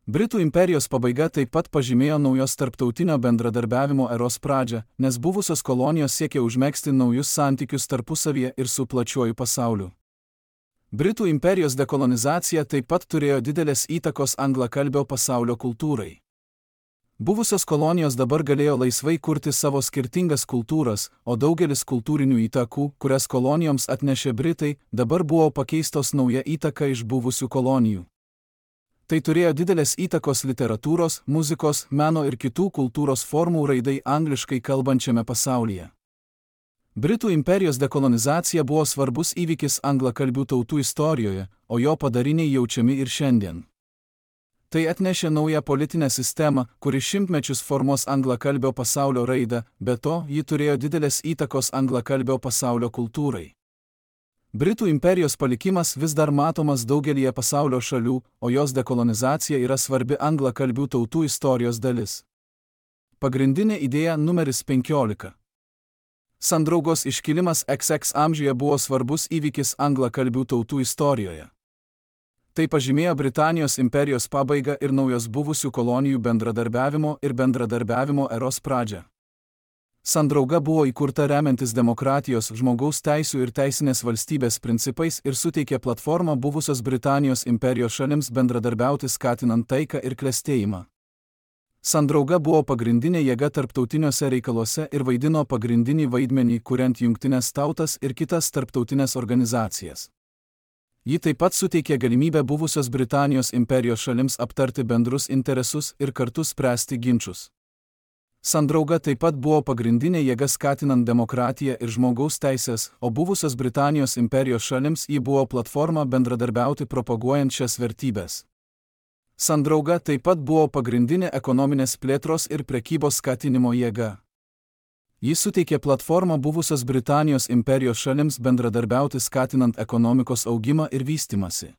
Britų imperijos pabaiga taip pat pažymėjo naujos tarptautinio bendradarbiavimo eros pradžią, nes buvusios kolonijos siekė užmegzti naujus santykius tarpusavyje ir su plačiuoju pasauliu. Britų imperijos dekolonizacija taip pat turėjo didelės įtakos anglakalbio pasaulio kultūrai. Buvusios kolonijos dabar galėjo laisvai kurti savo skirtingas kultūras, o daugelis kultūrinių įtakų, kurias kolonijoms atnešė Britai, dabar buvo pakeistos nauja įtaka iš buvusių kolonijų. Tai turėjo didelės įtakos literatūros, muzikos, meno ir kitų kultūros formų raidai angliškai kalbančiame pasaulyje. Britų imperijos dekolonizacija buvo svarbus įvykis anglakalbių tautų istorijoje, o jo padariniai jaučiami ir šiandien. Tai atnešė naują politinę sistemą, kuri šimtmečius formuos anglakalbio pasaulio raidą, be to ji turėjo didelės įtakos anglakalbio pasaulio kultūrai. Britų imperijos palikimas vis dar matomas daugelyje pasaulio šalių, o jos dekolonizacija yra svarbi anglakalbių tautų istorijos dalis. Pagrindinė idėja numeris 15. Sandraugos iškilimas XX amžiuje buvo svarbus įvykis anglakalbių tautų istorijoje. Tai pažymėjo Britanijos imperijos pabaigą ir naujos buvusių kolonijų bendradarbiavimo eros pradžią. Sandrauga buvo įkurta remiantis demokratijos, žmogaus teisių ir teisinės valstybės principais ir suteikė platformą buvusios Britanijos imperijos šalims bendradarbiauti skatinant taiką ir klestėjimą. Sandrauga buvo pagrindinė jėga tarptautiniuose reikaluose ir vaidino pagrindinį vaidmenį, kuriant Jungtines tautas ir kitas tarptautinės organizacijas. Ji taip pat suteikė galimybę buvusios Britanijos imperijos šalims aptarti bendrus interesus ir kartu spręsti ginčus. Sandrauga taip pat buvo pagrindinė jėga skatinant demokratiją ir žmogaus teisės, o buvusios Britanijos imperijos šalims ji buvo platforma bendradarbiauti propaguojant šias vertybės. Sandrauga taip pat buvo pagrindinė ekonominės plėtros ir prekybos skatinimo jėga. Ji suteikė platformą buvusios Britanijos imperijos šalims bendradarbiauti skatinant ekonomikos augimą ir vystymąsi.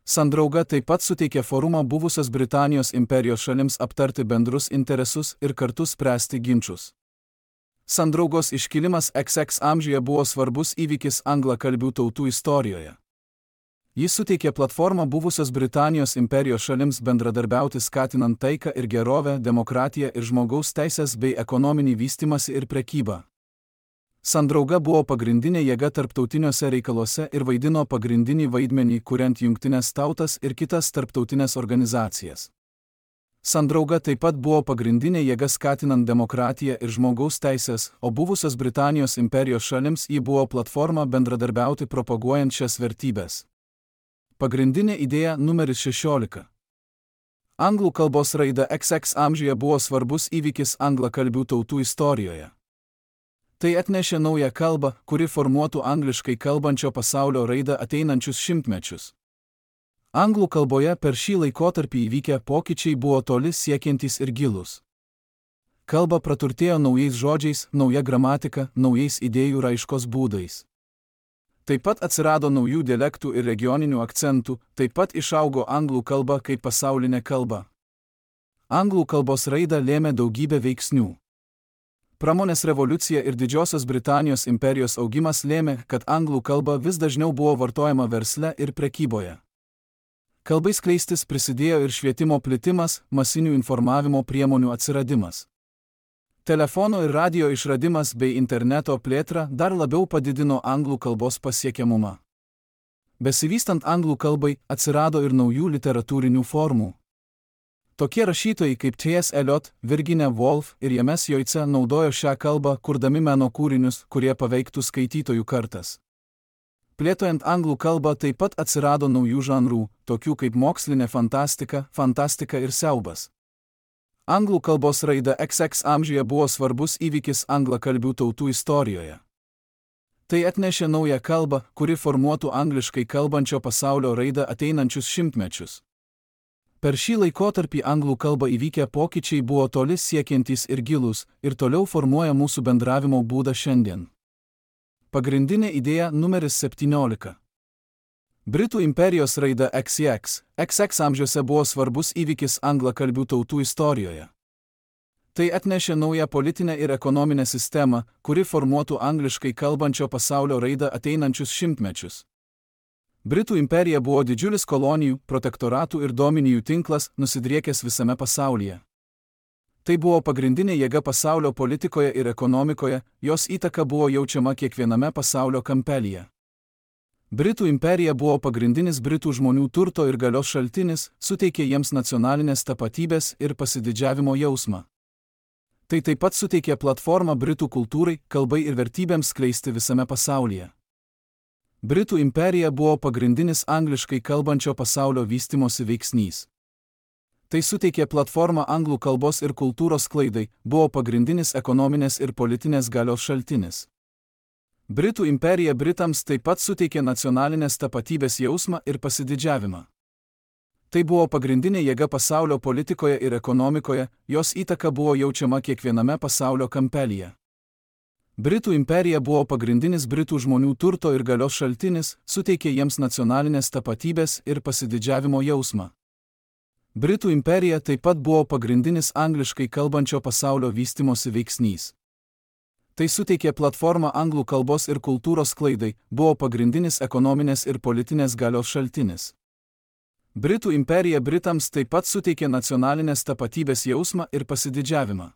Sandrauga taip pat suteikė forumą buvusios Britanijos imperijos šalims aptarti bendrus interesus ir kartu spręsti ginčus. Sandraugos iškilimas XX amžiuje buvo svarbus įvykis anglakalbių tautų istorijoje. Jis suteikė platformą buvusios Britanijos imperijos šalims bendradarbiauti skatinant taiką ir gerovę, demokratiją ir žmogaus teisės bei ekonominį vystymąsi ir prekybą. Sandrauga buvo pagrindinė jėga tarptautiniuose reikaluose ir vaidino pagrindinį vaidmenį, kuriant Jungtines tautas ir kitas tarptautinės organizacijas. Sandrauga taip pat buvo pagrindinė jėga skatinant demokratiją ir žmogaus teisės, o buvusios Britanijos imperijos šalims ji buvo platforma bendradarbiauti propaguojant šias vertybės. Pagrindinė idėja numeris 16. Anglų kalbos raida XX amžiuje buvo svarbus įvykis anglakalbių tautų istorijoje. Tai atnešė naują kalbą, kuri formuotų angliškai kalbančio pasaulio raidą ateinančius šimtmečius. Anglų kalboje per šį laikotarpį įvykę pokyčiai buvo toli siekiantys ir gilūs. Kalba praturtėjo naujais žodžiais, nauja gramatika, naujais idėjų raiškos būdais. Taip pat atsirado naujų dialektų ir regioninių akcentų, taip pat išaugo anglų kalba kaip pasaulinė kalba. Anglų kalbos raidą lėmė daugybė veiksnių. Pramonės revoliucija ir Didžiosios Britanijos imperijos augimas lėmė, kad anglų kalba vis dažniau buvo vartojama versle ir prekyboje. Kalbai skleistis prisidėjo ir švietimo plitimas, masinių informavimo priemonių atsiradimas. Telefono ir radio išradimas bei interneto plėtra dar labiau padidino anglų kalbos pasiekiamumą. Besivystant anglų kalbai atsirado ir naujų literatūrinių formų. Tokie rašytojai kaip T.S. Eliot, Virginia Woolf ir James Joyce naudojo šią kalbą, kurdami meno kūrinius, kurie paveiktų skaitytojų kartas. Plėtojant anglų kalbą taip pat atsirado naujų žanrų, tokių kaip mokslinė fantastika, fantastika ir siaubas. Anglų kalbos raida XX amžiuje buvo svarbus įvykis anglakalbių tautų istorijoje. Tai atnešė naują kalbą, kuri formuotų angliškai kalbančio pasaulio raidą ateinančius šimtmečius. Per šį laikotarpį anglų kalbą įvykę pokyčiai buvo toli siekiantys ir gilūs ir toliau formuoja mūsų bendravimo būdą šiandien. Pagrindinė idėja numeris 17. Britų imperijos raida XX amžiuose buvo svarbus įvykis anglakalbių tautų istorijoje. Tai atnešė naują politinę ir ekonominę sistemą, kuri formuotų angliškai kalbančio pasaulio raidą ateinančius šimtmečius. Britų imperija buvo didžiulis kolonijų, protektoratų ir dominijų tinklas, nusidriekęs visame pasaulyje. Tai buvo pagrindinė jėga pasaulio politikoje ir ekonomikoje, jos įtaka buvo jaučiama kiekviename pasaulio kampelyje. Britų imperija buvo pagrindinis britų žmonių turto ir galios šaltinis, suteikė jiems nacionalinės tapatybės ir pasididžiavimo jausmą. Tai taip pat suteikė platformą britų kultūrai, kalbai ir vertybėms skleisti visame pasaulyje. Britų imperija buvo pagrindinis angliškai kalbančio pasaulio vystimosi veiksnys. Tai suteikė platformą anglų kalbos ir kultūros sklaidai, buvo pagrindinis ekonominės ir politinės galios šaltinis. Britų imperija Britams taip pat suteikė nacionalinės tapatybės jausmą ir pasididžiavimą. Tai buvo pagrindinė jėga pasaulio politikoje ir ekonomikoje, jos įtaka buvo jaučiama kiekviename pasaulio kampelyje. Britų imperija buvo pagrindinis britų žmonių turto ir galios šaltinis, suteikė jiems nacionalinės tapatybės ir pasididžiavimo jausmą. Britų imperija taip pat buvo pagrindinis angliškai kalbančio pasaulio vystimosi veiksnys. Tai suteikė platformą anglų kalbos ir kultūros sklaidai, buvo pagrindinis ekonominės ir politinės galios šaltinis. Britų imperija Britams taip pat suteikė nacionalinės tapatybės jausmą ir pasididžiavimą.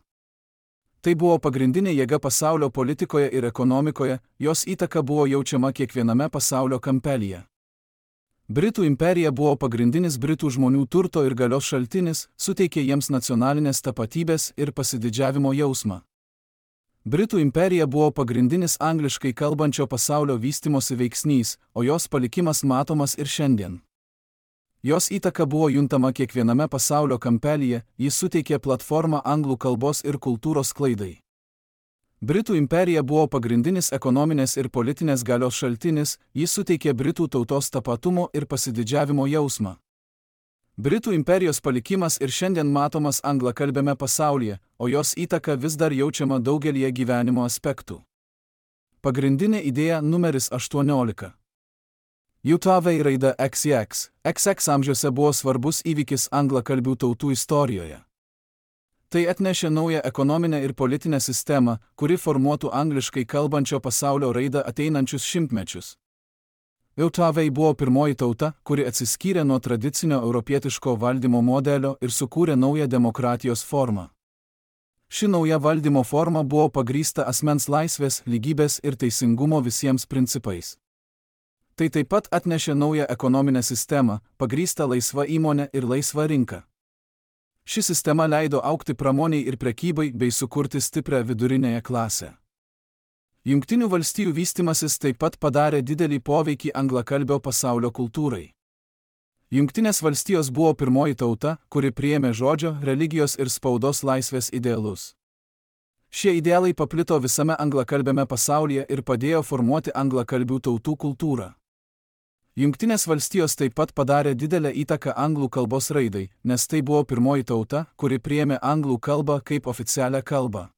Tai buvo pagrindinė jėga pasaulio politikoje ir ekonomikoje, jos įtaka buvo jaučiama kiekviename pasaulio kampelyje. Britų imperija buvo pagrindinis britų žmonių turto ir galios šaltinis, suteikė jiems nacionalinės tapatybės ir pasididžiavimo jausmą. Britų imperija buvo pagrindinis angliškai kalbančio pasaulio vystimosi veiksnys, o jos palikimas matomas ir šiandien. Jos įtaka buvo juntama kiekviename pasaulio kampelyje, jis suteikė platformą anglų kalbos ir kultūros sklaidai. Britų imperija buvo pagrindinis ekonominės ir politinės galios šaltinis, jis suteikė britų tautos tapatumo ir pasididžiavimo jausmą. Britų imperijos palikimas ir šiandien matomas anglakalbiame pasaulyje, o jos įtaka vis dar jaučiama daugelyje gyvenimo aspektų. Pagrindinė idėja numeris 18. JAV raida XX amžiuose buvo svarbus įvykis anglakalbių tautų istorijoje. Tai atnešė naują ekonominę ir politinę sistemą, kuri formuotų angliškai kalbančio pasaulio raidą ateinančius šimtmečius. JAV buvo pirmoji tauta, kuri atsiskyrė nuo tradicinio europietiško valdymo modelio ir sukūrė naują demokratijos formą. Ši nauja valdymo forma buvo pagrįsta asmens laisvės, lygybės ir teisingumo visiems principais. Tai taip pat atnešė naują ekonominę sistemą, pagrįstą laisva įmonė ir laisva rinka. Ši sistema leido augti pramoniai ir prekybai bei sukurti stiprią vidurinėje klasę. Jungtinių valstijų vystimasis taip pat padarė didelį poveikį anglakalbio pasaulio kultūrai. Jungtinės valstijos buvo pirmoji tauta, kuri priėmė žodžio, religijos ir spaudos laisvės idealus. Šie idealai paplito visame anglakalbiame pasaulyje ir padėjo formuoti anglakalbių tautų kultūrą. Jungtinės valstijos taip pat padarė didelę įtaką anglų kalbos raidai, nes tai buvo pirmoji tauta, kuri priėmė anglų kalbą kaip oficialią kalbą.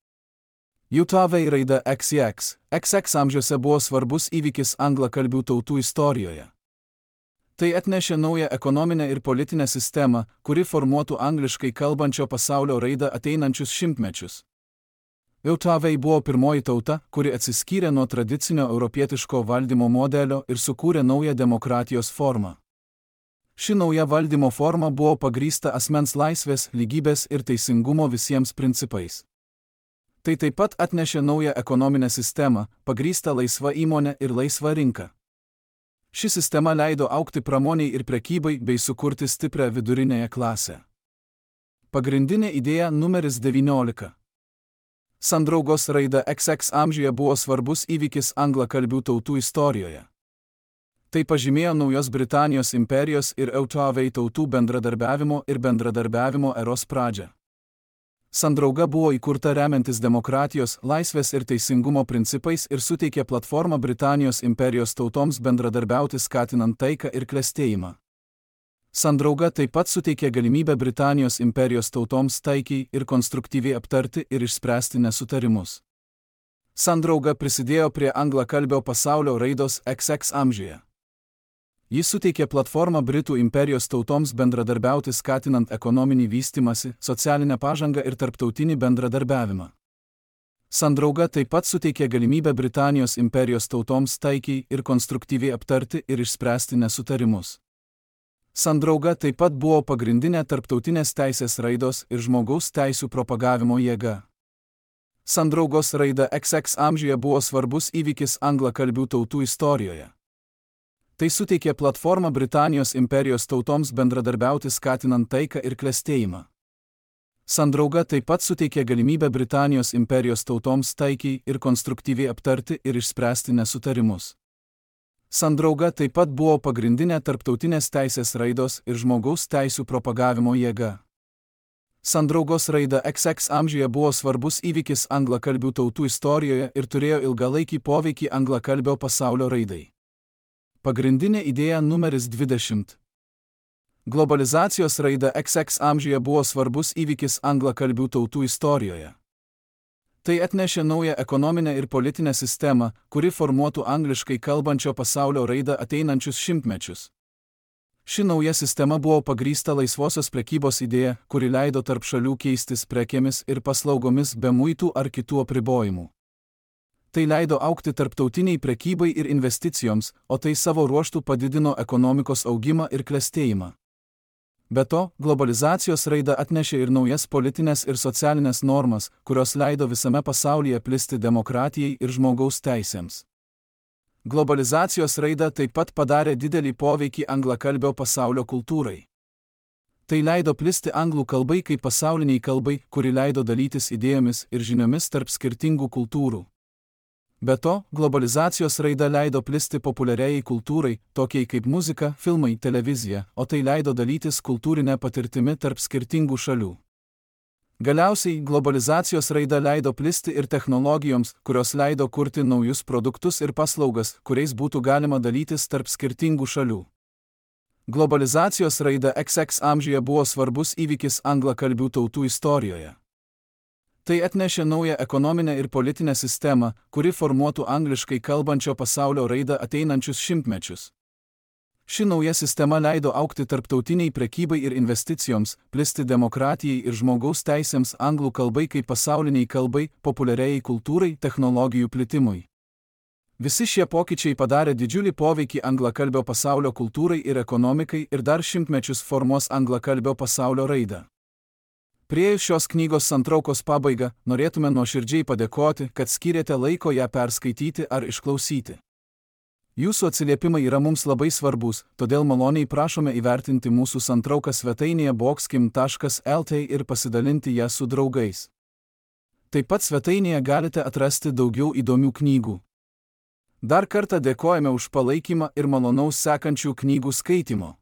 JAV raida XX amžiuose buvo svarbus įvykis anglakalbių tautų istorijoje. Tai atnešė naują ekonominę ir politinę sistemą, kuri formuotų angliškai kalbančio pasaulio raidą ateinančius šimtmečius. JAV buvo pirmoji tauta, kuri atsiskyrė nuo tradicinio europietiško valdymo modelio ir sukūrė naują demokratijos formą. Ši nauja valdymo forma buvo pagrįsta asmens laisvės, lygybės ir teisingumo visiems principais. Tai taip pat atnešė naują ekonominę sistemą, pagrįstą laisva įmonė ir laisva rinka. Ši sistema leido augti pramoniai ir prekybai bei sukurti stiprią vidurinėje klasę. Pagrindinė idėja numeris 19. Sandraugos raida XX amžiuje buvo svarbus įvykis anglakalbių tautų istorijoje. Tai pažymėjo naujos Britanijos imperijos ir JAV tautų bendradarbiavimo eros pradžią. Sandrauga buvo įkurta remiantis demokratijos, laisvės ir teisingumo principais ir suteikė platformą Britanijos imperijos tautoms bendradarbiauti skatinant taiką ir klestėjimą. Sandrauga taip pat suteikė galimybę Britanijos imperijos tautoms taikiai ir konstruktyviai aptarti ir išspręsti nesutarimus. Sandrauga prisidėjo prie anglakalbio pasaulio raidos XX amžiuje. Jis suteikė platformą Britų imperijos tautoms bendradarbiauti skatinant ekonominį vystymąsi, socialinę pažangą ir tarptautinį bendradarbiavimą. Sandrauga taip pat suteikė galimybę Britanijos imperijos tautoms taikiai ir konstruktyviai aptarti ir išspręsti nesutarimus. Sandrauga taip pat buvo pagrindinė tarptautinės teisės raidos ir žmogaus teisių propagavimo jėga. Sandraugos raida XX amžiuje buvo svarbus įvykis anglakalbių tautų istorijoje. Tai suteikė platformą Britanijos imperijos tautoms bendradarbiauti skatinant taiką ir klestėjimą. Sandrauga taip pat suteikė galimybę Britanijos imperijos tautoms taikiai ir konstruktyviai aptarti ir išspręsti nesutarimus. Sandrauga taip pat buvo pagrindinė tarptautinės teisės raidos ir žmogaus teisių propagavimo jėga. Sandraugos raida XX amžiuje buvo svarbus įvykis anglakalbių tautų istorijoje ir turėjo ilgalaikį poveikį anglakalbio pasaulio raidai. Pagrindinė idėja numeris 20. Globalizacijos raida XX amžiuje buvo svarbus įvykis anglakalbių tautų istorijoje. Tai atnešė naują ekonominę ir politinę sistemą, kuri formuotų angliškai kalbančio pasaulio raidą ateinančius šimtmečius. Ši nauja sistema buvo pagrįsta laisvosios prekybos idėja, kuri leido tarp šalių keistis prekėmis ir paslaugomis be muitų ar kitų apribojimų. Tai leido augti tarptautiniai prekybai ir investicijoms, o tai savo ruožtu padidino ekonomikos augimą ir klestėjimą. Be to, globalizacijos raida atnešė ir naujas politinės ir socialinės normas, kurios leido visame pasaulyje plisti demokratijai ir žmogaus teisėms. Globalizacijos raida taip pat padarė didelį poveikį anglakalbio pasaulio kultūrai. Tai leido plisti anglų kalbai kaip pasauliniai kalbai, kuri leido dalytis idėjomis ir žiniomis tarp skirtingų kultūrų. Be to, globalizacijos raida leido plisti populiariai kultūrai, tokiai kaip muzika, filmai, televizija, o tai leido dalytis kultūrinę patirtimi tarp skirtingų šalių. Galiausiai, globalizacijos raida leido plisti ir technologijoms, kurios leido kurti naujus produktus ir paslaugas, kuriais būtų galima dalytis tarp skirtingų šalių. Globalizacijos raida XX amžiuje buvo svarbus įvykis anglakalbių tautų istorijoje. Tai atnešė naują ekonominę ir politinę sistemą, kuri formuotų angliškai kalbančio pasaulio raidą ateinančius šimtmečius. Ši nauja sistema leido augti tarptautiniai prekybai ir investicijoms, plisti demokratijai ir žmogaus teisėms anglų kalbai kaip pasauliniai kalbai, populiariai kultūrai, technologijų plitimui. Visi šie pokyčiai padarė didžiulį poveikį anglakalbio pasaulio kultūrai ir ekonomikai ir dar šimtmečius formuos anglakalbio pasaulio raidą. Priėjus šios knygos santraukos pabaigą, norėtume nuoširdžiai padėkoti, kad skyrėte laiko ją perskaityti ar išklausyti. Jūsų atsiliepimai yra mums labai svarbus, todėl maloniai prašome įvertinti mūsų santrauką svetainėje boxkim.lt ir pasidalinti ją su draugais. Taip pat svetainėje galite atrasti daugiau įdomių knygų. Dar kartą dėkojame už palaikymą ir malonaus sekančių knygų skaitimo.